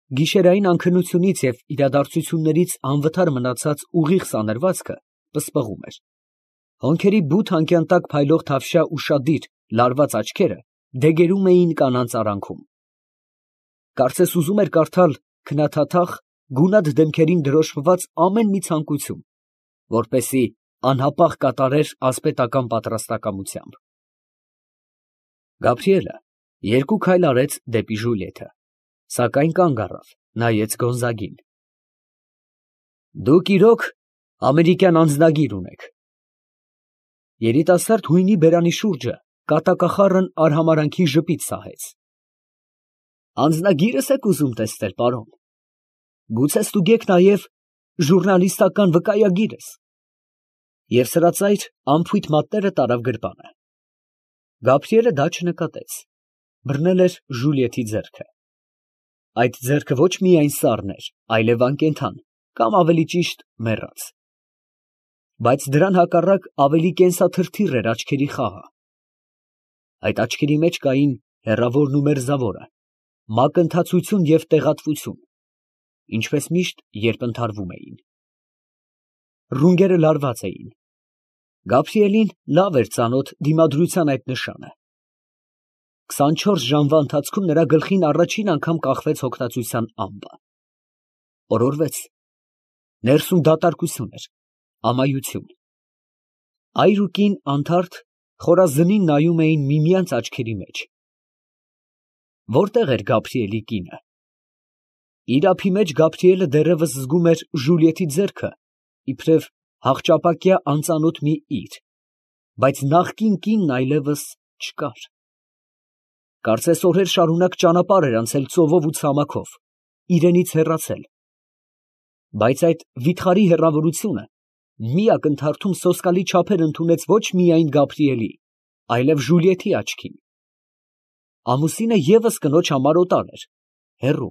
Գիշերային անքնությունից և իրադարձություններից անվթար մնացած ուղիղ սանրվածքը պսպղում էր, հոնքերի բութ անկյան տակ փայլող թավշյա ուշադիր, լարված աչքերը դեգերում էին կանանց արանքում, կարծես ուզում էր կարդալ քնաթաթախ, գունատ դեմքերին դրոշմված ամեն մի ցանկություն, որպեսզի անհապաղ կատարեր ասպետական պատրաստակամությամբ։ Գաբրիելը երկու քայլ արեց դեպի Ժուլիետը, սակայն կանգ առավ, նայեց Գոնզագին։ Դուք իրոք ամերիկյան անձնագիր ունեք։ Երիտասարդ հույնի բերանի շուրջը կատակախառն արհամարանքի ժպիտ սահեց։ Անձնագիրս եք ուզում տեսնել, պարոն։ Գուցե ստուգեք նաև ժուռնալիստական վկայագիրս։ Եվ սրածայր անփույթ մատները տարավ գրպանը։ Գաբրիելը դա չնկատեց, բռնել էր Ժուլիետի ձեռքը։ Այդ ձեռքը ոչ միայն սառն էր, այլև անկենդան, կամ ավելի ճիշտ մեռած։ Բայց դրան հակառակ ավելի կենսաթրթիռ էր աչքերի խաղը։ Այդ աչքերի մեջ կային հեռավորն ու մերձավորը, մակընթացություն և տեղատվություն, ինչպես միշտ, երբ ընդհարվում էին։ Ռունգերը լարված էին։ Գաբրիելին լավ էր ծանոթ դիմադրության այդ նշանը։ 24 ժամվա ընթացքում նրա գլխին առաջին անգամ կախվեց հոգնածության ամպը։ Օրորվեց։ Ներսում դատարկություն էր, ամայություն։ Այր ու կին անթարթ խորազնին նայում էին միմյանց աչքերի մեջ։ Որտե՞ղ էր Գաբրիելի կինը։ Իր ափի մեջ Գաբրիելը դեռևս զգում էր Ժուլիետի ձեռքը, իբրև հախճապակյա անծանոթ մի իր, բայց նախկին կինն այլևս չկար։ Կարծես օրեր շարունակ ճանապարհ էր անցել ծովով ու ցամաքով, իրենից հեռացել։ Բայց այդ վիթխարի հեռավորությունը մի ակնթարթում սոսկալի չափեր ընդունեց ոչ միայն Գաբրիելի, այլև Ժուլիետի աչքին։ Ամուսինը ևս կնոջ համար օտար էր, հեռու։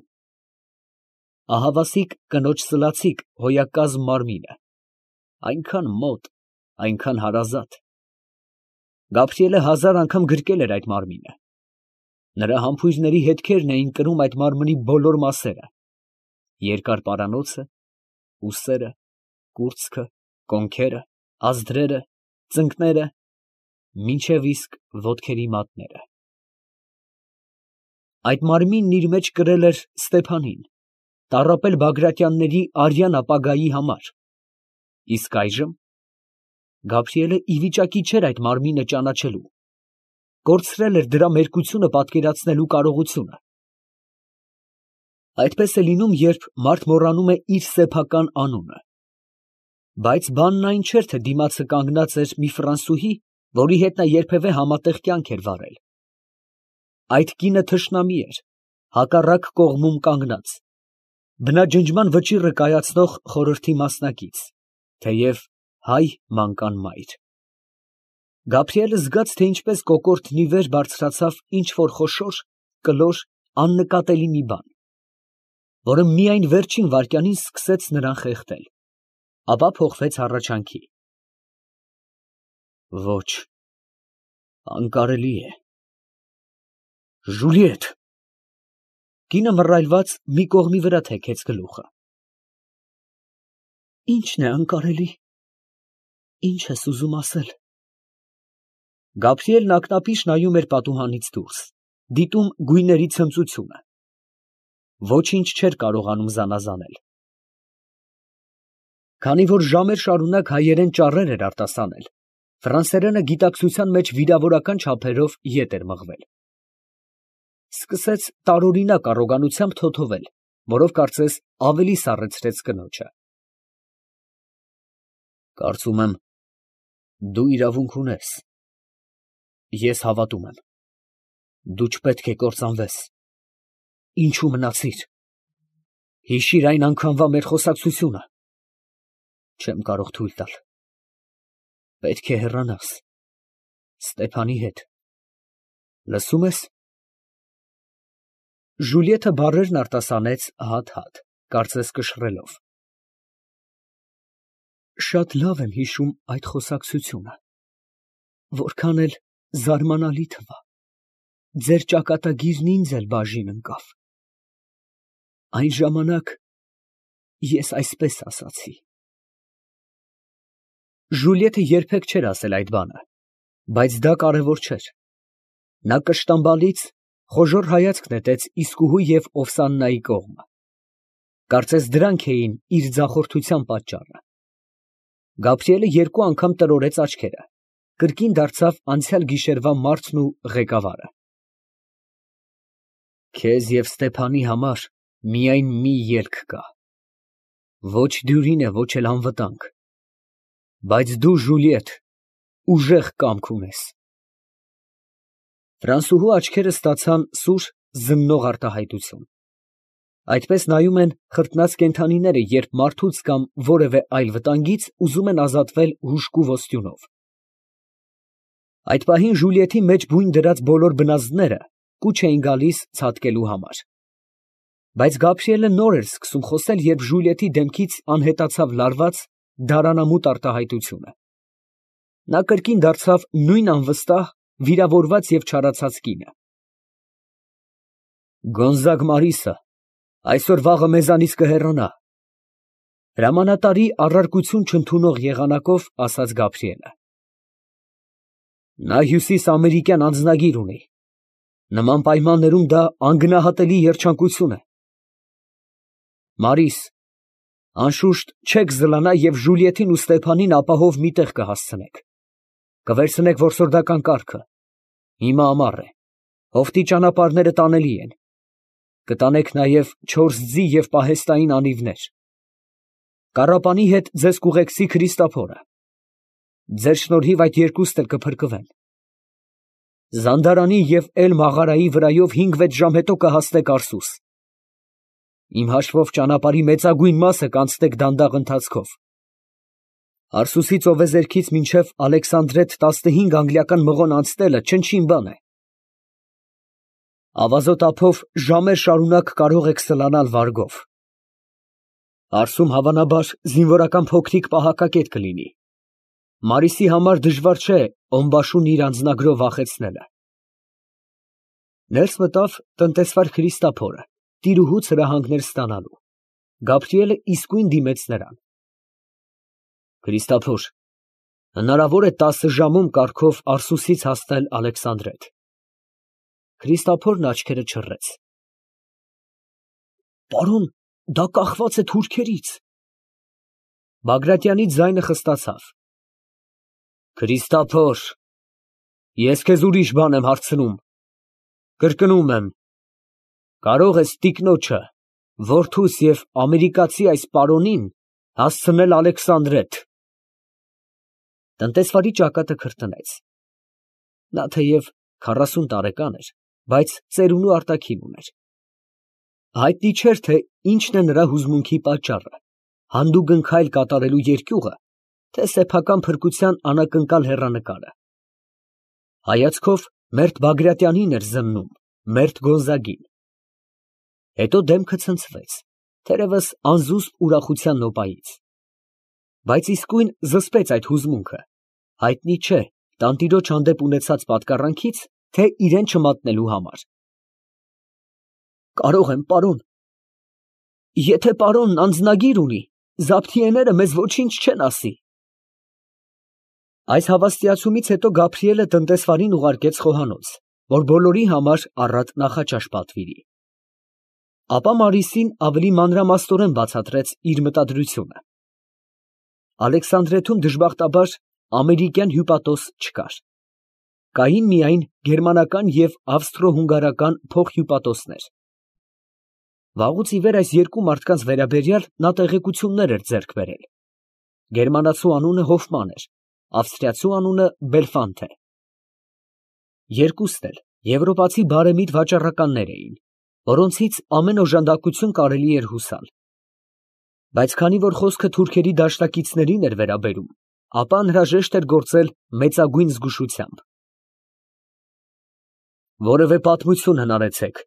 Ահավասիկ կնոջ սլացիկ հոյակազմ մարմինը, այնքան մոտ, այնքան հարազատ։ Գաբրիելը հազար անգամ գրկել էր այդ մարմինը։ Նրա համբույրների հետքերն էին կրում այդ մարմնի բոլոր մասերը, երկար պարանոցը, ուսերը, կուրծքը, կոնքերը, ազդրերը, ծնկները, մինչև իսկ ոտքերի մատները։ Այդ մարմինն իր մեջ կրել էր Ստեփանին, տառապել Բագրատյանների արյան ապագայի համար, իսկ այժմ Գաբրիելը ի վիճակի չէր այդ մարմինը ճանաչելու, կորցրել էր դրա մերկությունը պատկերացնելու կարողությունը։ Այդպես է լինում, երբ մարդ մոռանում է իր սեփական անունը։ Բայց բանն այն չէր, թե դիմացը կանգնած էր մի ֆրանսուհի, որի հետ նա երբևէ համատեղ կյանք էր վարել։ Այդ կինը թշնամի էր, հակառակ կողմում կանգնած, բնաջնջման վճիռը կայացնող խորհրդի մասնակից, թեև հայ մանկան մայր։ Գաբրիելը զգաց, թե ինչպես կոկորդն ի վեր բարձրացավ ինչ֊որ խոշոր, կլոր, աննկատելի մի բան, որը միայն վերջին վայրկյանին սկսեց նրան խեղդել, ապա փոխվեց հառաչանքի։ Ոչ, անկարելի է։ Ժուլիետ։ Կինը մռայլված մի կողմի վրա թեքեց գլուխը։ Ի՞նչն է անկարելի։ Ի՞նչ ես ուզում ասել։ Գաբրիելն ակնապիշ նայում էր պատուհանից դուրս, դիտում գույների ցնծությունը։ Ոչինչ չէր կարողանում զանազանել։ Քանի որ ժամեր շարունակ հայերեն ճառեր էր արտասանել, ֆրանսերենը գիտակցության մեջ վիրավորական չափերով ետ էր մղվել։ Սկսեց տարօրինակ առոգանությամբ թոթովել, որով կարծես ավելի սառեցրեց կնոջը։ Կարծում եմ, դու իրավունք ունես։ Ես հավատում եմ։ Դու չպետք է կործանվես։ Ինչու մնացիր։ Հիշիր այն անգամվա մեր խոսակցությունը։ Չեմ կարող թույլ տալ։ Պետք է հեռանաս։ Ստեփանի հետ։ Լսում ես։ Ժուլիետը բառերն արտասանեց հատ֊հատ, կարծես կշռելով։ Շատ լավ եմ հիշում այդ խոսակցությունը, որքան էլ զարմանալի թվա, ձեր ճակատագիրն ինձ էլ բաժին ընկավ։ Այն ժամանակ ես այսպես ասացի։ Ժուլիետը երբեք չէր ասել այդ բանը, բայց դա կարևոր չէր։ Նա կշտամբալից խոժոռ հայացք նետեց իսկուհու և Օվսաննայի կողմ։ Կարծես դրանք էին իր ձախորդության պատճառը։ Գաբրիելը երկու անգամ տրորեց աչքերը, կրկին դարձավ անցյալ գիշերվա մարդն ու ղեկավարը։ Քեզ և Ստեփանի համար միայն մի ելք կա. ոչ դյուրին է, ոչ էլ անվտանգ, բայց դու, Ժուլիետ, ուժեղ կամք ունես։ Ֆրանսուհու աչքերը ստացան սուր, զննող արտահայտություն։ Այդպես նայում են խրտնած կենդանիները, երբ մարդուց կամ որևէ այլ վտանգից ուզում են ազատվել հուժկու ոսტյունով։ Այդ պահին Ժուլիետի մեջ բույն դրած բոլոր բնազդները կուչ էին գալիս ցատկելու համար։ Բայց Գաբրիելը նոր էր սկսում խոսել, երբ Ժուլիետի դեմքից անհետացավ լարված, դարանամուտ արտահայտությունը։ Նա կրկին դարձավ նույն անվստահ, վիրավորված և չարացած կինը։ Գոնզագ Մարիսը այսօր֊վաղը մեզանից կհեռանա, հրամանատարի առարկություն չընդունող եղանակով ասաց Գաբրիելը։ Նա հյուսիսամերիկյան անձնագիր ունի։ Նման պայմաններում դա անգնահատելի երջանկություն է։ Մարիս, անշուշտ չեք զլանա և Ժուլիետին ու Ստեփանին ապահով մի տեղ կհասցնեք։ Կվերցնեք որսորդական կառքը։ Հիմա ամառ է, հովտի ճանապարհները տանելի են։ Կտանեք նաև 4 ձի և պահեստային անիվներ։ Կառապանի հետ ձեզ կուղեկցի Քրիստոփորը։ Ձեր շնորհիվ այդ երկուսն էլ կփրկվեն։ Զանդարանի և Էլ֊Մաղարայի վրայով 5-6 ժամ հետո կհասնեք Արսուս։ Իմ հաշվով ճանապարհի մեծագույն մասը կանցնեք դանդաղ ընթացքով։ Արսուսի ծովեզերքից մինչև Ալեքսանդրետ 15 անգլիական մղոն անցնելը չնչին բան է։ Ավազոտ ափով ժամեր շարունակ կարող եք սլանալ վարգով։ Արսում հավանաբար զինվորական փոքրիկ պահակակետ կլինի։ Մարիսի համար դժվար չէ Օմբաշուն իր անձնագրով վախեցնելը։ Ներս մտավ տնտեսվար Քրիստոփորը, տիրուհուց հրահանգներ ստանալու։ Գաբրիելը իսկույն դիմեց նրան։ Քրիստոփոր, հնարավոր է 10 ժամում կառքով Արսուսից հասնել Ալեքսանդրետ։ Քրիստոփորն աչքերը չռեց։ Պարոն, դա կախված է թուրքերից։ Բագրատյանի ձայնը խստացավ։ Քրիստոփոր, ես քեզ ուրիշ բան եմ հարցնում։ Կրկնում եմ, կարող ես տիկնոջը, որդուս և ամերիկացի այս պարոնին հասցնել Ալեքսանդրետ։ Տնտեսվարի ճակատը քրտնեց։ Նա թեև 40 տարեկան էր, բայց ծերունու արտաքին ուներ։ Հայտնի չէր, թե ինչն է նրա հուզմունքի պատճառը, հանդուգն քայլ կատարելու երկյուղը, թե սեփական փրկության անակնկալ հեռանկարը։ Հայացքով մերթ Բագրատյանին էր զննում, մերթ Գոնզագին։ Հետո դեմքը ցնցվեց, թերևս անզուսպ ուրախության նոպայից։ Բայց իսկույն զսպեց այդ հուզմունքը, հայտնի չէ տանտիրոջ հանդեպ ունեցած պատկառանքից, թե իրան չմատնելու համար։ Կարող եմ, պարոն։ Եթե պարոնն անձնագիր ունի, զաբթիեները մեզ ոչինչ չեն ասի։ Այս հավաստիացումից հետո Գաբրիելը տնտեսվարին ուղարկեց խոհանոց, որ բոլորի համար առատ նախաճաշ պատվիրի։ Ապա Մարիսին ավելի մանրամասնորեն բացատրեց իր մտադրությունը։ Ալեքսանդրեթում դժբախտաբար ամերիկյան հյուպատոս չկար։ Կային միայն գերմանական և ավստրո֊հունգարական փոխհյուպատոսներ։ Վաղուց ի վեր այս երկու մարդկանց վերաբերյալ նա տեղեկություններ էր ձեռք բերել։ Գերմանացու անունը Հոֆման էր, ավստրիացու անունը Բելֆանթե։ Երկուսն էլ եվրոպացի բարեմիտ վաճառականներ էին, որոնցից ամեն օժանդակություն կարելի էր հուսալ։ Բայց քանի որ խոսքը թուրքերի դաշնակիցներին էր վերաբերում, ապա անհրաժեշտ էր գործել մեծագույն զգուշությամբ։ Որևէ պատմություն հնարեցեք։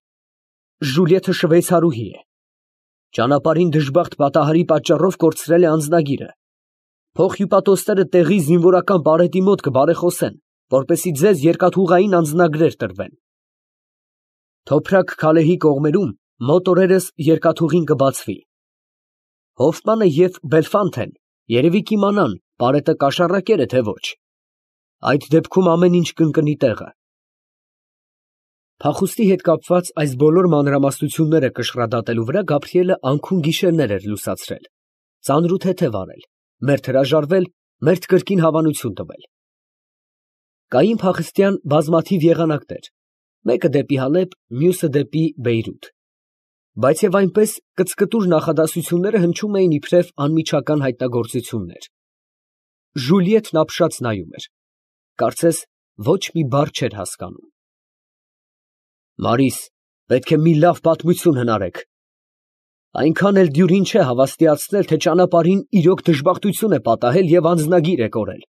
Ժուլիետը շվեյցարուհի է։ Ճանապարհին դժբախտ պատահարի պատճառով կորցրել է անձնագիրը։ Փոխհյուպատոսները տեղի զինվորական պարետի մոտ կբարեխոսեն, որպեսզի ձեզ երկաթուղային անձնագրեր տրվեն։ Թոփրակ Քալեհի կողմերում Մոտ օրերս երկաթուղին կբացվի։ Հոֆմանը և Բելֆանթեն երևի կիմանան պարետը կաշառակեր է, թե ոչ։ Այդ դեպքում ամեն ինչ կընկնի տեղը։ Փախուստի հետ կապված այս բոլոր մանրամասնությունները կշռադատելու վրա Գաբրիելը անքուն գիշերներ էր լուսացրել, ծանր ու թեթև արել, մերթ հրաժարվել, մերթ կրկին հավանություն տվել։ Կային փախստյան բազմաթիվ եղանակներ, մեկը դեպի Հալեբ, մյուսը դեպի Բեյրութ, բայց և այնպես կծկտուր նախադասությունները հնչում էին իբրև անմիջական հայտնագործություններ։ Ժուլիետն ապշած նայում էր, կարծես ոչ մի բառ չէր հասկանում։ Մարիս, պետք է մի լավ պատմություն հնարեք։ Այնքան էլ դյուրին չէ հավաստիացնել, թե ճանապարհին իրոք դժբախտություն է պատահել և անձնագիր է կորել,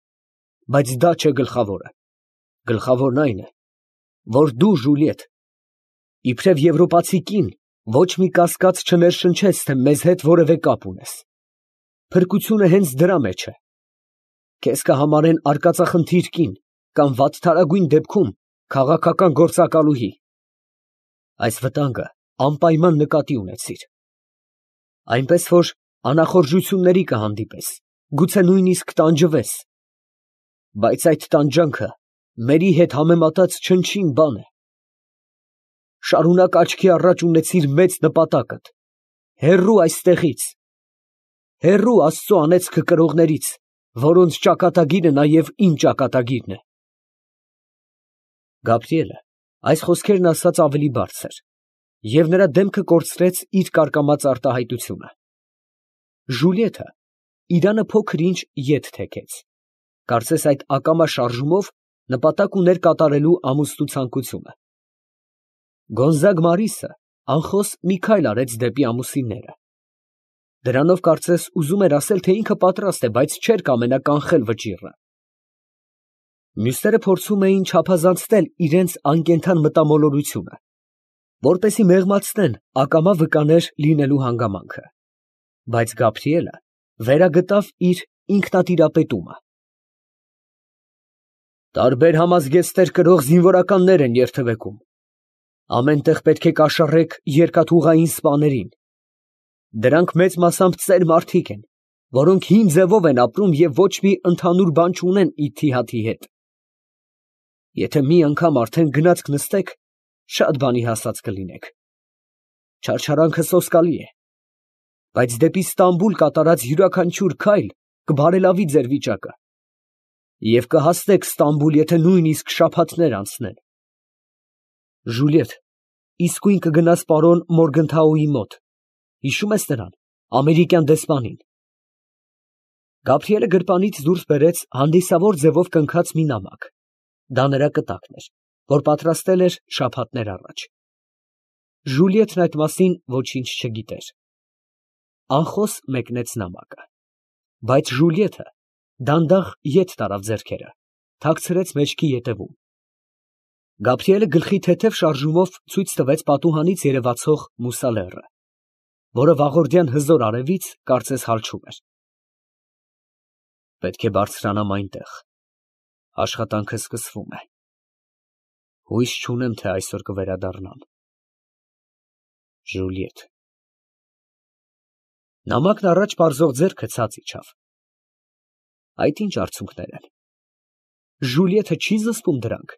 բայց դա չէ գլխավորը։ Գլխավորն այն է, որ դու, Ժուլիետ, իբրև եվրոպացի կին, ոչ մի կասկած չներշնչեց, թե մեզ հետ որևէ կապ ունես։ Փրկությունը հենց դրա մեջ է։ Քեզ կհամարեն արկածախնդիր կին կամ վատթարագույն դեպքում քաղաքական գործակալուհի։ Այս վտանգը անպայման նկատի ունեցիր։ Այնպես որ անախորժությունների կհանդիպես, գուցե նույնիսկ տանջվես, բայց այդ տանջանքը մերի հետ համեմատած չնչին բան է։ Շարունակ աչքի առաջ ունեցիր մեծ նպատակդ, հեռու այստեղից, հեռու Աստծու անեծքը կրողներից, որոնց ճակատագիրը նաև իմ ճակատագիրն է։ Գաբրիելը այս խոսքերն ասաց ավելի բարձր, և նրա դեմքը կորցրեց իր կարկամած արտահայտությունը։ Ժուլիետը իրանը փոքր ինչ ետ թեքեց, կարծես այդ ակամա շարժումով նպատակ ուներ կատարելու ամուսնու ցանկությունը։ Գոնզագ Մարիսը անխոս մի քայլ արեց դեպի ամուսինները։ Դրանով կարծես ուզում էր ասել, թե ինքը պատրաստ է, բայց չէր կամենա կանխել վճիռը։ Մյուսները փորձում էին չափազանցնել իրենց անկենդան մտամոլորությունը, որպեսզի մեղմացնեն ակամա վկաներ լինելու հանգամանքը, բայց Գաբրիելը վերագտավ իր ինքնատիրապետումը։ Տարբեր համազգեստներ կրող զինվորականներ են երթևեկում։ Ամեն տեղ պետք է կաշառեք երկաթուղային սպաներին։ Դրանք մեծ մասամբ ծեր մարդիկ են, որոնք հին ձևով են ապրում և ոչ մի ընդհանուր բան չունեն իթիհաթի հետ։ Եթե մի անգամ արդեն գնացք նստեք, շատ բանի հասած կլինեք։ Չարչարանքը սոսկալի է, բայց դեպի Ստամբուլ կատարած յուրաքանչյուր քայլ կբարելավի ձեր վիճակը, և կհասնեք Ստամբուլ, եթե նույնիսկ շաբաթներ անցնեն։ Ժուլիետ, իսկույն կգնաս պարոն Մորգընթաուի մոտ, հիշում ես նրան, ամերիկյան դեսպանին։ Գաբրիելը գրպանից դուրս բերեց հանդիսավոր ձևով կնքած մի նամակ. դա նրա կտակն էր, որ պատրաստել էր շաբաթներ առաջ։ Ժուլիետն այդ մասին ոչինչ չգիտեր։ Անխոս մեկնեց նամակը, բայց Ժուլիետը դանդաղ ետ տարավ ձեռքերը, թաքցրեց մեջքի ետևում։ Գաբրիելը գլխի թեթև շարժումով ցույց տվեց պատուհանից երևացող մուսալեռը, որը վաղորդյան հզոր արևից կարծես հալչում էր։ Պետք է բարձրանամ այնտեղ, աշխատանքը սկսվում է։ Հույս չունեմ, թե այսօր կվերադառնամ։ Ժուլիետ։ Նամակն առաջ պարզող ձեռքը ցած իջավ։ Այդ ինչ արցունքներ են։ Ժուլիետը չի զսպում դրանք։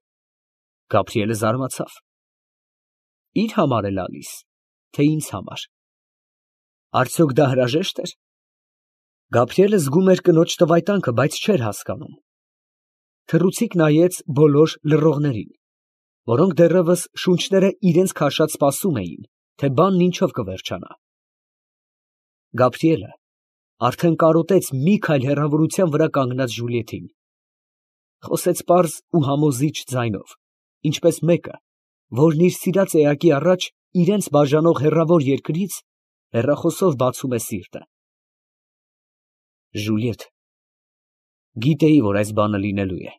Գաբրիելը զարմացավ։ Իր համար է լալիս, թե ինձ համար։ Արդյոք դա հրաժեշտ էր։ Գաբրիելը զգում էր կնոջ տվայտանքը, բայց չէր հասկանում։ Թռուցիկ նայեց բոլոր լռողներին, որոնք դեռևս շունչները իրենց քաշած սպասում էին, թե բանն ինչով կվերջանա։ Գաբրիելը արդեն կարոտեց մի քայլ հեռավորության վրա կանգնած Ժուլիետին։ Խոսեց պարզ ու համոզիչ ձայնով, ինչպես մեկը, որն իր սիրած էակի առաջ իրենց բաժանող հեռավոր երկրից հեռախոսով բացում է սիրտը։ Ժուլիետ, գիտեի, որ այս բանը լինելու է,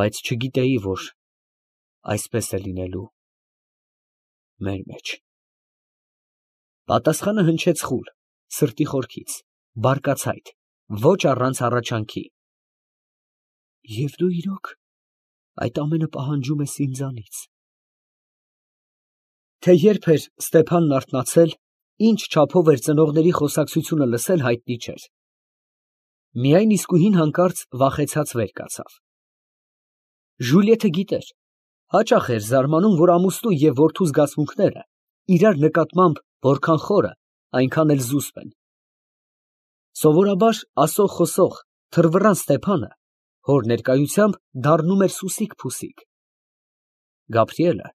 բայց չգիտեի, որ այսպես է լինելու մեր մեջ։ Պատասխանը հնչեց խուլ, սրտի խորքից, բարկացայտ, ոչ առանց հառաչանքի։ Եվ դու իրոք այդ ամենը պահանջում ես ինձանից։ Թե երբ էր Ստեփանն արթնացել, ինչ չափով էր ծնողների խոսակցությունը լսել, հայտնի չէր. միայն իսկույն հանկարծ վախեցած վեր կացավ։ Ժուլիետը գիտեր, հաճախ էր զարմանում, որ ամուսնու և որդու զգացմունքները իրար նկատմամբ որքան խորը, այնքան էլ զուսպ են։ Սովորաբար ասող խոսող թռվռան Ստեփանը հոր ներկայությամբ դառնում էր սուսիկ֊փուսիկ։ Գաբրիելը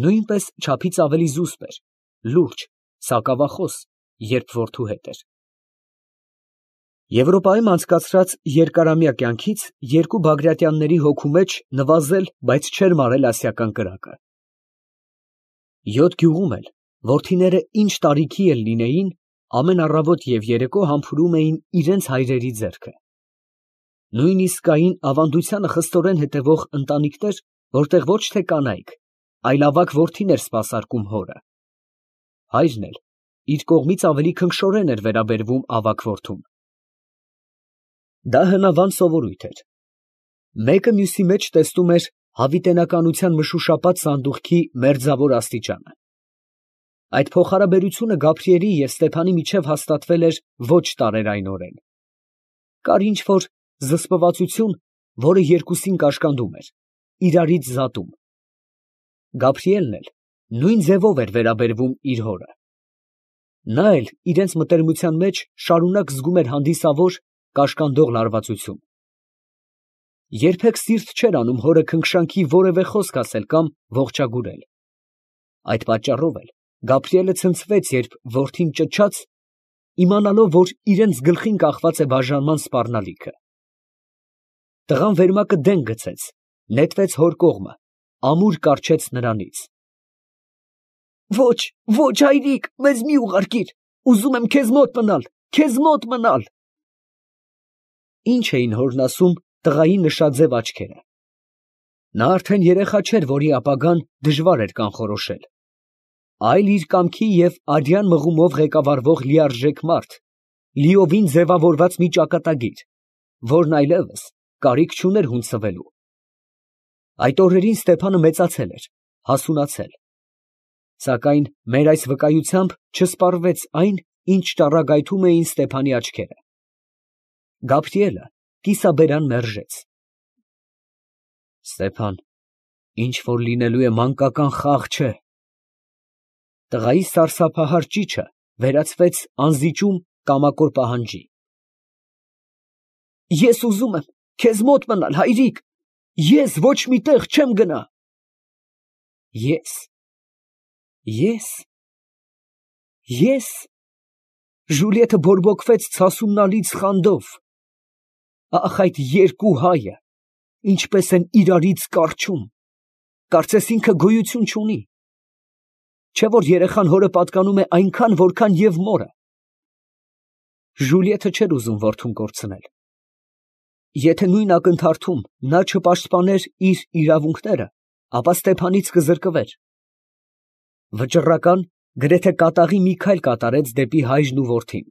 նույնպես չափից ավելի զուսպ էր, լուրջ, սակավախոս, երբ որդու հետ էր։ Եվրոպայում անցկացրած երկարամյա կյանքից երկու Բագրատյանների հոգու մեջ նվազել, բայց չէր մարել ասիական կրակը։ 7 գյուղում էլ, որդիները ինչ տարիքի էլ լինեին, ամեն առավոտ և երեկո համբուրում էին իրենց հայրերի ձեռքը։ Նույնիսկ կային ավանդությանը խստորեն հետևող ընտանիքներ, որտեղ ոչ թե կանայք, այլ ավագ որդին էր սպասարկում հորը։ Հայրն էլ իր կողմից ավելի քնքշորեն էր վերաբերվում ավագ որդուն։ Դա հնավանդ սովորույթ էր։ Մեկը մյուսի մեջ տեսնում էր հավիտենականության մշուշապատ սանդուղքի մերձավոր աստիճանը։ Այդ փոխհարաբերությունը Գաբրիելի և Ստեփանի միջև հաստատվել էր ոչ տարերայնորեն։ Կար ինչ֊որ զսպվածություն, որը երկուսին կաշկանդում էր, իրարից զատում։ Գաբրիելն էլ նույն ձևով էր վերաբերվում իր հորը։ Նա էլ իրենց մտերմության մեջ շարունակ զգում էր հանդիսավոր, կաշկանդող լարվածություն։ Երբեք սիրտ չէր անում հորը քնքշանքի որևէ խոսք ասել կամ ողջագուրել։ Այդ պատճառով էլ Գաբրիելը ցնցվեց, երբ որդին ճչաց, իմանալով, որ իրենց գլխին կախված է բաժանման սպառնալիքը։ Տղան վերմակը դեն գցեց, նետվեց հոր կողմը, ամուր կառչեց նրանից։ Ոչ, ոչ, հայրիկ, մեզ մի ուղարկիր, ուզում եմ քեզ մոտ մնալ, քեզ մոտ մնալ։ Ինչ էին հորն ասում տղայի նշաձև աչքերը։ Նա արդեն երեխա չէր, որի ապագան դժվար էր կանխորոշել, այլ իր կամքի և արյան մղումով ղեկավարվող լիարժեք մարդ, լիովին ձևավորված մի ճակատագիր, որն այլևս կարիք չուներ հունցվելու։ Այդ օրերին Ստեփանը մեծացել էր, հասունացել, սակայն մեր այս վկայությամբ չսպառվեց այն, ինչ ճառագայթում էին Ստեփանի աչքերը։ Գաբրիելը կիսաբերան մերժեց։ Ստեփան, ինչ որ լինելու է մանկական խաղ չէ։ Տղայի սարսափահար ճիչը վերածվեց անզիջում կամակոր պահանջի։ Ես ուզում եմ քեզ մոտ մնալ, հայրիկ, ես ոչ մի տեղ չեմ գնա։ Ես։ Ժուլիետը բորբոքվեց ցասումնալից խանդով։ Ախ, այդ երկու հայը ինչպես են իրարից կառչում, կարծես ինքը գոյություն չունի։ Չէ որ երեխան հորը պատկանում է այնքան, որքան և մորը։ Ժուլիետը չէր ուզում որդուն կորցնել։ Եթե նույն ակնթարթում նա չպաշտպաներ իր իրավունքները, ապա Ստեփանից կզրկվեր։ Վճռական, գրեթե կատաղի մի քայլ կատարեց դեպի հայրն ու որդին։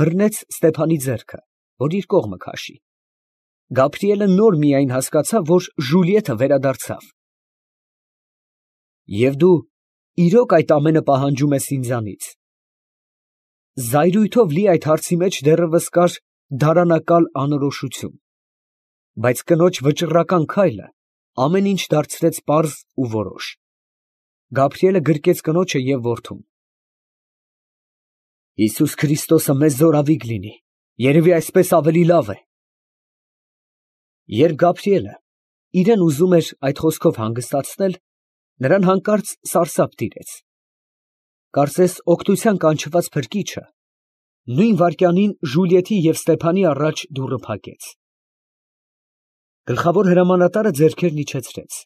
Բռնեց Ստեփանի ձեռքը, որ իր կողմը քաշի։ Գաբրիելը նոր միայն հասկացավ, որ Ժուլիետը վերադարձավ։ Եվ դու իրոք այդ ամենը պահանջում ես ինձանից։ Զայրույթով լի այդ հարցի մեջ դեռևս կար դարանակալ անորոշություն, բայց կնոջ վճռական քայլը ամեն ինչ դարձրեց պարզ ու որոշ։ Գաբրիելը գրկեց կնոջը և որդուն։ Հիսուս Քրիստոսը մեզ զորավիգ լինի, երևի այսպես ավելի լավ է։ Երբ Գաբրիելը իրեն ուզում էր այդ խոսքով հանգստացնել, նրան հանկարծ սարսափ տիրեց։ Կարծես օգնության կանչված փրկիչը նույն վայրկյանին Ժուլիետի և Ստեփանի առաջ դուռը փակեց։ Գլխավոր հրամանատարը ձեռքերն իջեցրեց,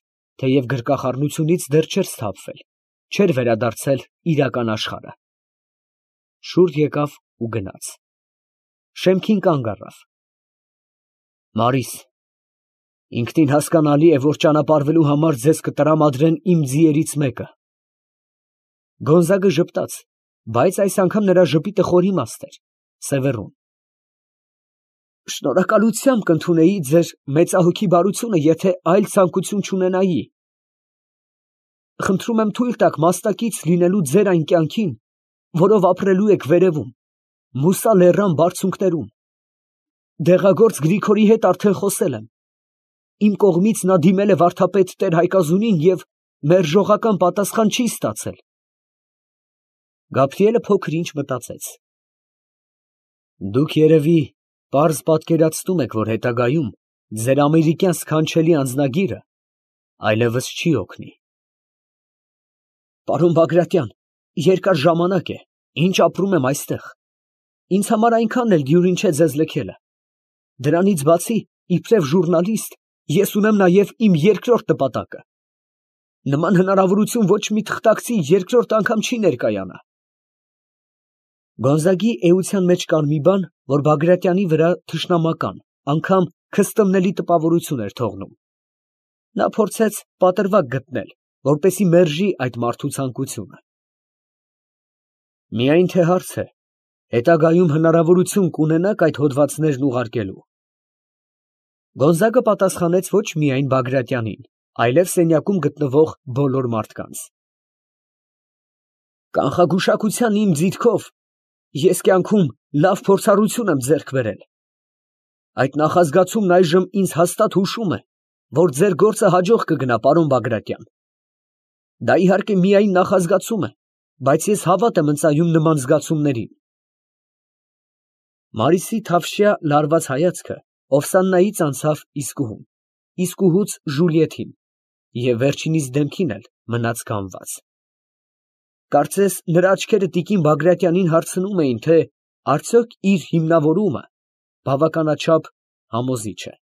թեև գրկախառնությունից դեռ չէր սթափվել, չէր վերադարձել իրական աշխարհը։ Շուռ եկավ ու գնաց։ Շեմքին կանգ առավ։ Մարիս, ինքնին հասկանալի է, որ ճանապարհվելու համար ձեզ կտրամադրեն իմ ձիերից մեկը։ Գոնզագը ժպտաց, բայց այս անգամ նրա ժպիտը խոր իմաստ էր, սևեռուն։ Շնորհակալությամբ կընդունեի ձեր մեծահոգի բարությունը, եթե այլ ցանկություն չունենայի։ խնդրում եմ թույլ տաք մասնակից լինելու ձեր այն կյանքին, որով ապրելու եք վերևում, Մուսա լեռան բարձունքներում։ Դեղագործ Գրիգորի հետ արդեն խոսել եմ։ Իմ կողմից նա դիմել է վարդապետ տեր Հայկազունին և մերժողական պատասխան չի ստացել։ Գաբրիելը փոքր ինչ մտածեց։ Դուք երևի պարզ պատկերացնում եք, որ հետագայում ձեր ամերիկյան սքանչելի անձնագիրը այլևս չի օգնի։ Պարոն Բագրատյան, երկար ժամանակ է, ինչ ապրում եմ այստեղ։ Ինձ համար այնքան էլ դյուրին չէ ձեզ լքելը։ Դրանից բացի, իբրև ժուռնալիստ, ես ունեմ նաև իմ երկրորդ նպատակը։ Նման հնարավորություն ոչ մի թղթակցի երկրորդ անգամ չի ներկայանա։ Գոնզագի էության մեջ կար մի բան, որ Բագրատյանի վրա թշնամական, անգամ քստմնելի տպավորություն էր թողնում։ Նա փորձեց պատրվակ գտնել, որպեսզի մերժի այդ մարդու ցանկությունը։ Միայն թե հարց է, հետագայում հնարավորություն կունենաք այդ հոդվածներն ուղարկելու։ Գոնզագը պատասխանեց ոչ միայն Բագրատյանին, այլև սենյակում գտնվող բոլոր մարդկանց։ Կանխագուշակության իմ ձիթքով ես կյանքում լավ փորձառություն եմ ձեռք բերել։ Այդ նախազգացումն այժմ ինձ հաստատ հուշում է, որ ձեր գործը հաջող կգնա, պարոն Բագրատյան։ Դա իհարկե միայն նախազգացում է, բայց ես հավատ եմ ընծայում նման զգացումներին։ Մարիսի թավշյա լարված հայացքը Օվսաննայից անցավ Իսկուհուն, Իսկուհուց Ժուլիեթին և վերջինիս դեմքին էլ մնաց կանգնած։ Կարծես նրա աչքերը տիկին Բագրատյանին հարցնում էին, թե արդյոք իր հիմնավորումը բավականաչափ համոզիչ է։